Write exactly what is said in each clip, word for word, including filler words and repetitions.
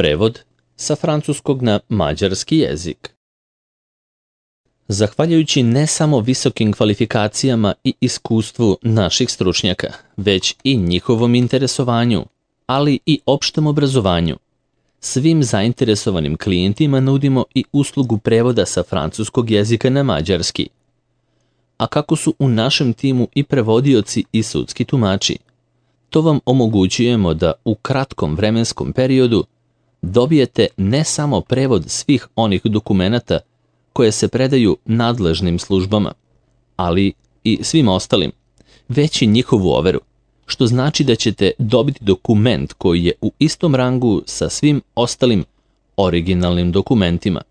Prevod sa francuskog na mađarski jezik. Zahvaljujući ne samo visokim kvalifikacijama i iskustvu naših stručnjaka, već i njihovom interesovanju, ali i opštem obrazovanju, svim zainteresovanim klijentima nudimo i uslugu prevoda sa francuskog jezika na mađarski. A kako su u našem timu i prevodioci i sudski tumači, to vam omogućujemo da u kratkom vremenskom periodu dobijete ne samo prevod svih onih dokumenata koje se predaju nadležnim službama, ali i svim ostalim, već i njihovu overu, što znači da ćete dobiti dokument koji je u istom rangu sa svim ostalim originalnim dokumentima.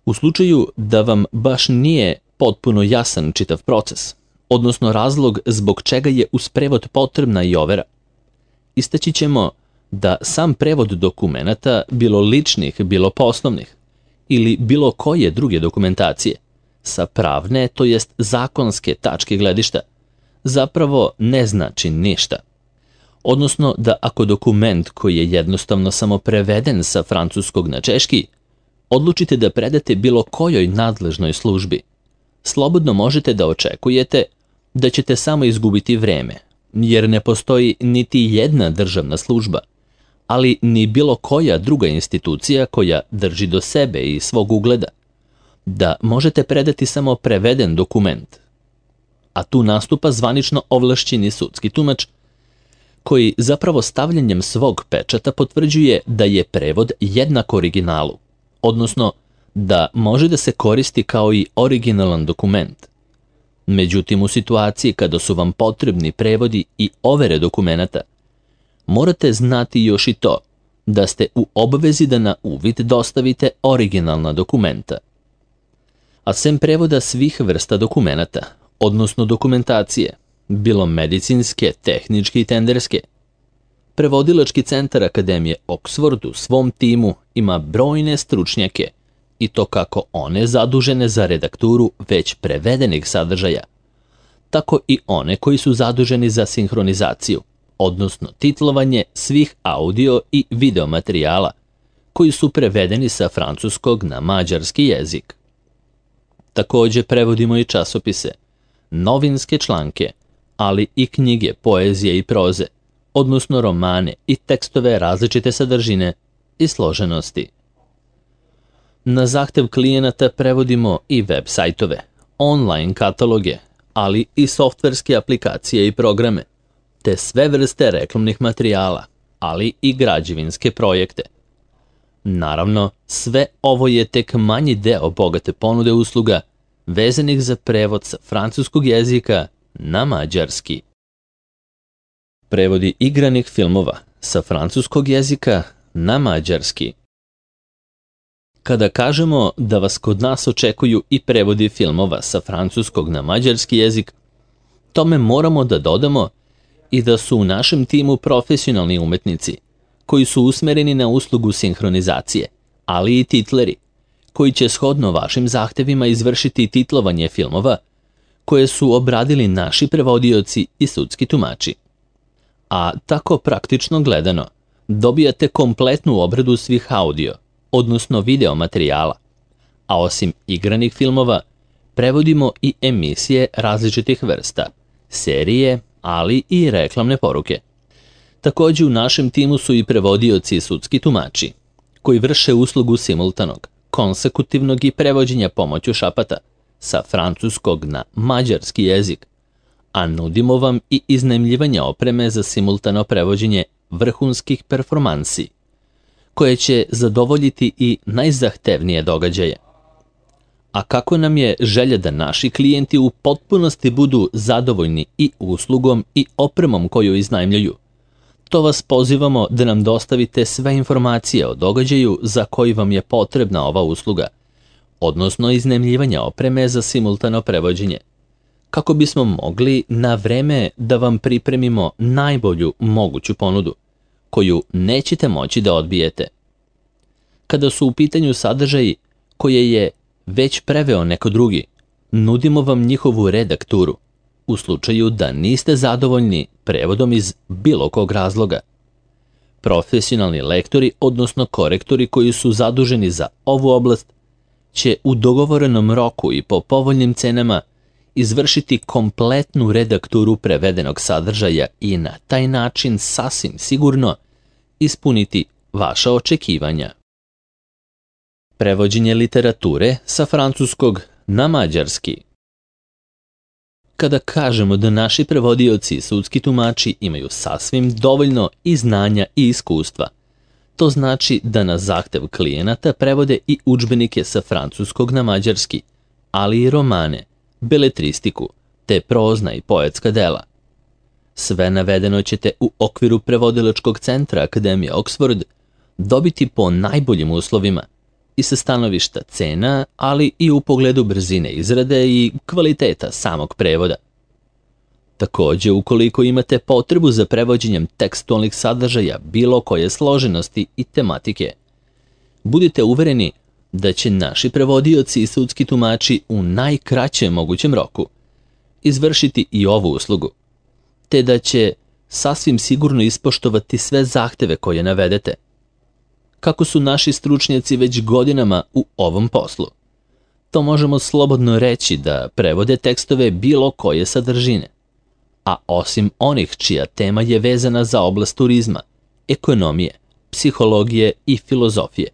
U slučaju da vam baš nije potpuno jasan čitav proces, odnosno razlog zbog čega je uz prevod potrebna i overa, istaći ćemo da sam prevod dokumenata, bilo ličnih, bilo poslovnih, ili bilo koje druge dokumentacije, sa pravne, to jest zakonske tačke gledišta, zapravo ne znači ništa. Odnosno da ako dokument koji je jednostavno samo preveden sa francuskog na češki, odlučite da predate bilo kojoj nadležnoj službi, slobodno možete da očekujete da ćete samo izgubiti vreme, jer ne postoji niti jedna državna služba, ali ni bilo koja druga institucija koja drži do sebe i svog ugleda, da možete predati samo preveden dokument. A tu nastupa zvanično ovlašćeni sudski tumač, koji zapravo stavljanjem svog pečata potvrđuje da je prevod jednak originalu, odnosno da može da se koristi kao i originalan dokument. Međutim, u situaciji kada su vam potrebni prevodi i overe dokumenata, morate znati još i to da ste u obvezi da na uvid dostavite originalna dokumenta. A sem prevoda svih vrsta dokumenata, odnosno dokumentacije, bilo medicinske, tehničke i tenderske, Prevodilački centar Akademije Oxford u svom timu ima brojne stručnjake, i to kako one zadužene za redakturu već prevedenih sadržaja, tako i one koji su zaduženi za sinhronizaciju, odnosno titlovanje svih audio i video materijala koji su prevedeni sa francuskog na mađarski jezik. Također prevodimo i časopise, novinske članke, ali i knjige poezije i proze, odnosno romane i tekstove različite sadržine i složenosti. Na zahtev klijenata prevodimo i web sajtove, online kataloge, ali i softverske aplikacije i programe, te sve vrste reklamnih materijala, ali i građevinske projekte. Naravno, sve ovo je tek manji deo bogate ponude usluga vezanih za prevod sa francuskog jezika na mađarski. Prevodi igranih filmova sa francuskog jezika na mađarski. Kada kažemo da vas kod nas očekuju i prevodi filmova sa francuskog na mađarski jezik, tome moramo da dodamo i da su u našem timu profesionalni umetnici koji su usmereni na uslugu sinhronizacije, ali i titleri, koji će shodno vašim zahtevima izvršiti titlovanje filmova koje su obradili naši prevodioci i sudski tumači. A tako praktično gledano, dobijate kompletnu obradu svih audio, odnosno video materijala, a osim igranih filmova, prevodimo i emisije različitih vrsta, serije, ali i reklamne poruke. Također u našem timu su i prevodioci i sudski tumači, koji vrše uslugu simultanog, konsekutivnog i prevođenja pomoću šapata sa francuskog na mađarski jezik, a nudimo vam i iznajmljivanje opreme za simultano prevođenje vrhunskih performansi, koje će zadovoljiti i najzahtevnije događaje. A kako nam je želja da naši klijenti u potpunosti budu zadovoljni i uslugom i opremom koju iznajmljuju, to vas pozivamo da nam dostavite sve informacije o događaju za koji vam je potrebna ova usluga, odnosno iznajmljivanje opreme za simultano prevođenje, kako bismo mogli na vreme da vam pripremimo najbolju moguću ponudu, koju nećete moći da odbijete. Kada su u pitanju sadržaji koje je već preveo neko drugi, nudimo vam njihovu redakturu, u slučaju da niste zadovoljni prevodom iz bilo kog razloga. Profesionalni lektori, odnosno korektori koji su zaduženi za ovu oblast, će u dogovorenom roku i po povoljnim cenama izvršiti kompletnu redakturu prevedenog sadržaja i na taj način sasvim sigurno ispuniti vaša očekivanja. Prevođenje literature sa francuskog na mađarski. Kada kažemo da naši prevodioci i sudski tumači imaju sasvim dovoljno i znanja i iskustva, to znači da na zahtev klijenata prevode i udžbenike sa francuskog na mađarski, ali i romane, beletristiku, te prozna i poetska dela. Sve navedeno ćete u okviru prevodilačkog centra Akademije Oxford dobiti po najboljim uslovima i sa stanovišta cena, ali i u pogledu brzine izrade i kvaliteta samog prevoda. Također, ukoliko imate potrebu za prevođenjem tekstualnih sadržaja bilo koje složenosti i tematike, budite uvereni da će naši prevodioci i sudski tumači u najkraćem mogućem roku izvršiti i ovu uslugu, te da će sasvim sigurno ispoštovati sve zahteve koje navedete. Kako su naši stručnjaci već godinama u ovom poslu, to možemo slobodno reći da prevode tekstove bilo koje sadržine, a osim onih čija tema je vezana za oblast turizma, ekonomije, psihologije i filozofije.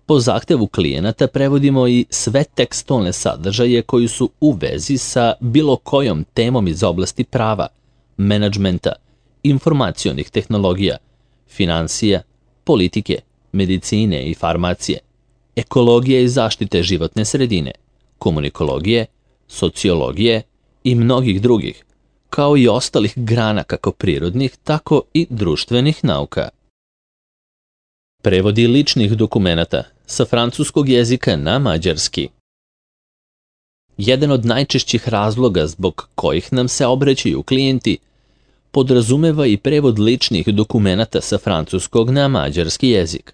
Po zahtevu klijenata prevodimo i sve tekstualne sadržaje koji su u vezi sa bilo kojom temom iz oblasti prava, menadžmenta, informacionih tehnologija, financija, politike, medicine i farmacije, ekologije i zaštite životne sredine, komunikologije, sociologije i mnogih drugih, kao i ostalih grana kako prirodnih, tako i društvenih nauka. Prevodi ličnih dokumenata sa francuskog jezika na mađarski. Jedan od najčešćih razloga zbog kojih nam se obraćaju klijenti podrazumeva i prevod ličnih dokumenata sa francuskog na mađarski jezik.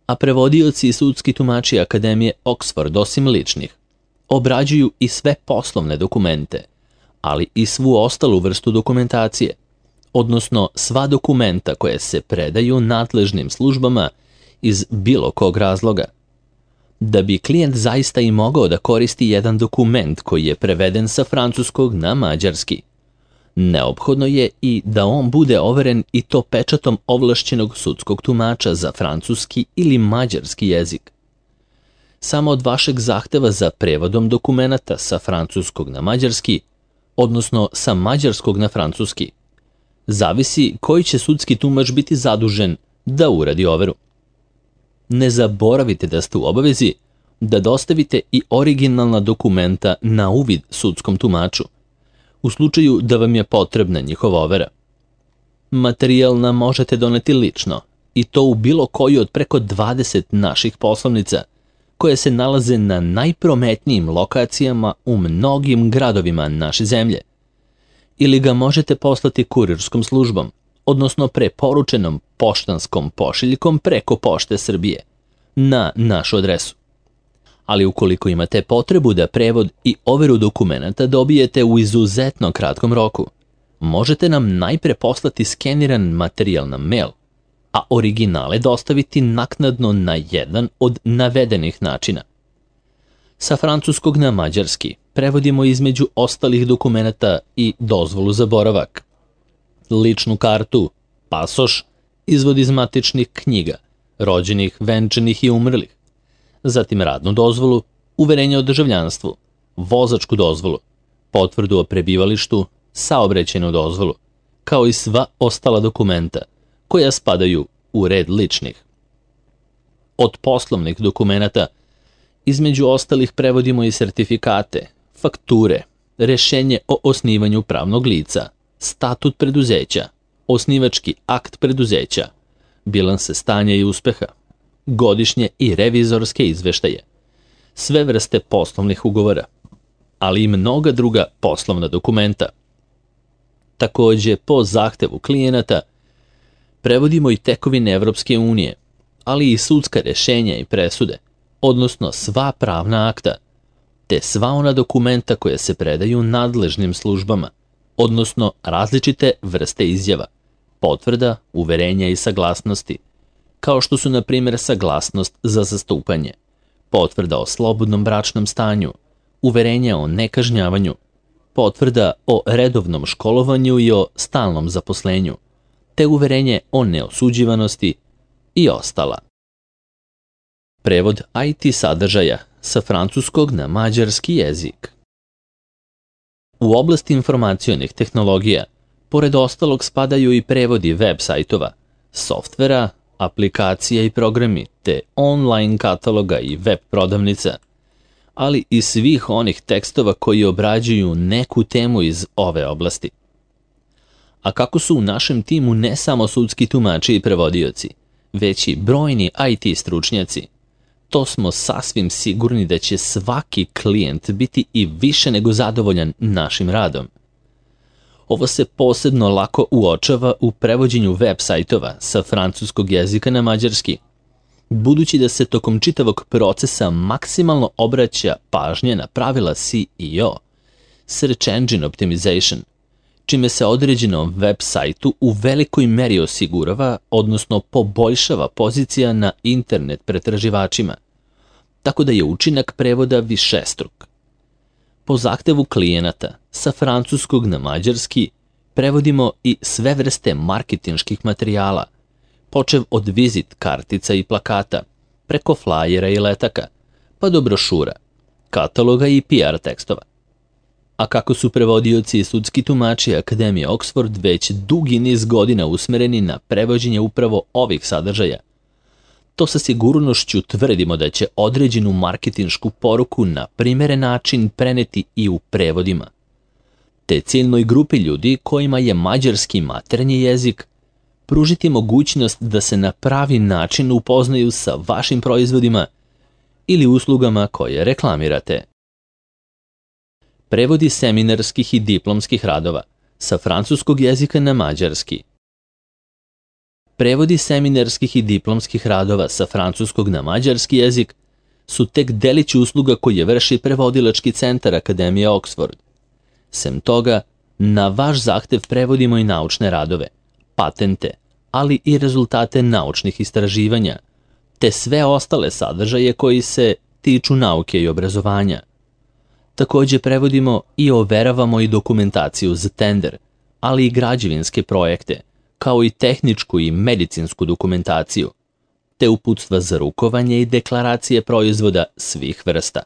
A prevodioci i sudski tumači Akademije Oxford osim ličnih obrađuju i sve poslovne dokumente, ali i svu ostalu vrstu dokumentacije, odnosno sva dokumenta koje se predaju nadležnim službama iz bilo kog razloga. Da bi klijent zaista i mogao da koristi jedan dokument koji je preveden sa francuskog na mađarski, neophodno je i da on bude overen i to pečatom ovlašćenog sudskog tumača za francuski ili mađarski jezik. Samo od vašeg zahteva za prevodom dokumenata sa francuskog na mađarski, odnosno sa mađarskog na francuski, zavisi koji će sudski tumač biti zadužen da uradi overu. Ne zaboravite da ste u obavezi da dostavite i originalna dokumenta na uvid sudskom tumaču, u slučaju da vam je potrebna njihova overa. Materijal nam možete doneti lično, i to u bilo koju od preko dvadeset naših poslovnica, koje se nalaze na najprometnijim lokacijama u mnogim gradovima naše zemlje. Ili ga možete poslati kurirskom službom, odnosno preporučenom poštanskom pošiljkom preko Pošte Srbije, na našu adresu. Ali ukoliko imate potrebu da prevod i overu dokumenata dobijete u izuzetno kratkom roku, možete nam najpre poslati skeniran materijal na mail, a originale dostaviti naknadno na jedan od navedenih načina. Sa francuskog na mađarski prevodimo između ostalih dokumenata i dozvolu za boravak, ličnu kartu, pasoš, izvod iz matičnih knjiga, rođenih, venčanih i umrlih, zatim radnu dozvolu, uverenje o državljanstvu, vozačku dozvolu, potvrdu o prebivalištu, saobraćajnu dozvolu, kao i sva ostala dokumenta koja spadaju u red ličnih. Od poslovnih dokumenata između ostalih prevodimo i sertifikate, fakture, rešenje o osnivanju pravnog lica, statut preduzeća, osnivački akt preduzeća, bilanse stanja i uspeha, godišnje i revizorske izveštaje, sve vrste poslovnih ugovora, ali i mnoga druga poslovna dokumenta. Također, po zahtevu klijenata, prevodimo i tekovine Evropske unije, ali i sudska rešenja i presude, odnosno sva pravna akta, te sva ona dokumenta koja se predaju nadležnim službama, odnosno različite vrste izjava, potvrda, uverenja i saglasnosti, kao što su na primjer saglasnost za zastupanje, potvrda o slobodnom bračnom stanju, uverenja o nekažnjavanju, potvrda o redovnom školovanju i o stalnom zaposlenju, te uverenje o neosuđivanosti i ostala. Prevod I T sadržaja sa francuskog na mađarski jezik. U oblasti informacionih tehnologija, pored ostalog spadaju i prevodi web sajtova, softvera, aplikacija i programi, te online kataloga i web prodavnica, ali i svih onih tekstova koji obrađuju neku temu iz ove oblasti. A kako su u našem timu ne samo sudski tumači i prevodioci, već i brojni I T stručnjaci, to smo sasvim sigurni da će svaki klijent biti i više nego zadovoljan našim radom. Ovo se posebno lako uočava u prevođenju web sajtova sa francuskog jezika na mađarski, budući da se tokom čitavog procesa maksimalno obraća pažnje na pravila S E O, Search Engine Optimization, čime se određenom web sajtu u velikoj meri osigurava, odnosno poboljšava pozicija na internet pretraživačima, tako da je učinak prevoda višestruk. Po zahtevu klijenata, sa francuskog na mađarski, prevodimo i sve vrste marketinških materijala, počev od vizit kartica i plakata, preko flajera i letaka, pa do brošura, kataloga i P R tekstova. A kako su prevodioci i sudski tumači Akademije Oxford već dugi niz godina usmereni na prevođenje upravo ovih sadržaja, to sa sigurnošću tvrdimo da će određenu marketinšku poruku na primeren način preneti i u prevodima. Te ciljnoj grupi ljudi kojima je mađarski maternji jezik pružiti mogućnost da se na pravi način upoznaju sa vašim proizvodima ili uslugama koje reklamirate. Prevodi seminarskih i diplomskih radova sa francuskog jezika na mađarski. Prevodi seminarskih i diplomskih radova sa francuskog na mađarski jezik su tek delić usluga koje vrši prevodilački centar Akademije Oxford. Sem toga, na vaš zahtev prevodimo i naučne radove, patente, ali i rezultate naučnih istraživanja, te sve ostale sadržaje koji se tiču nauke i obrazovanja. Također prevodimo i overavamo i dokumentaciju za tender, ali i građevinske projekte, kao i tehničku i medicinsku dokumentaciju, te uputstva za rukovanje i deklaracije proizvoda svih vrsta.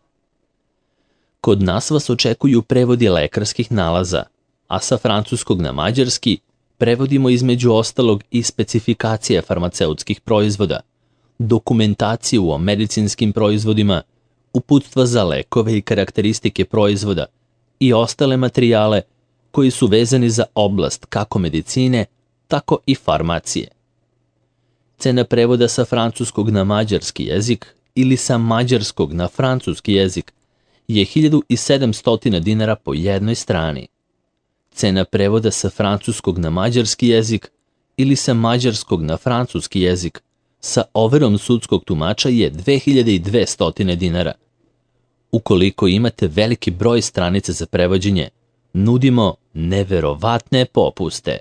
Kod nas vas očekuju prevodi lekarskih nalaza, a sa francuskog na mađarski prevodimo između ostalog i specifikacije farmaceutskih proizvoda, dokumentaciju o medicinskim proizvodima, uputstva za lekove i karakteristike proizvoda i ostale materijale koji su vezani za oblast kako medicine, tako i farmacije. Cena prevoda sa francuskog na mađarski jezik ili sa mađarskog na francuski jezik je hiljadu sedamsto dinara po jednoj strani. Cena prevoda sa francuskog na mađarski jezik ili sa mađarskog na francuski jezik sa overom sudskog tumača je dve hiljade dvesta dinara. Ukoliko imate veliki broj stranica za prevođenje, nudimo neverovatne popuste.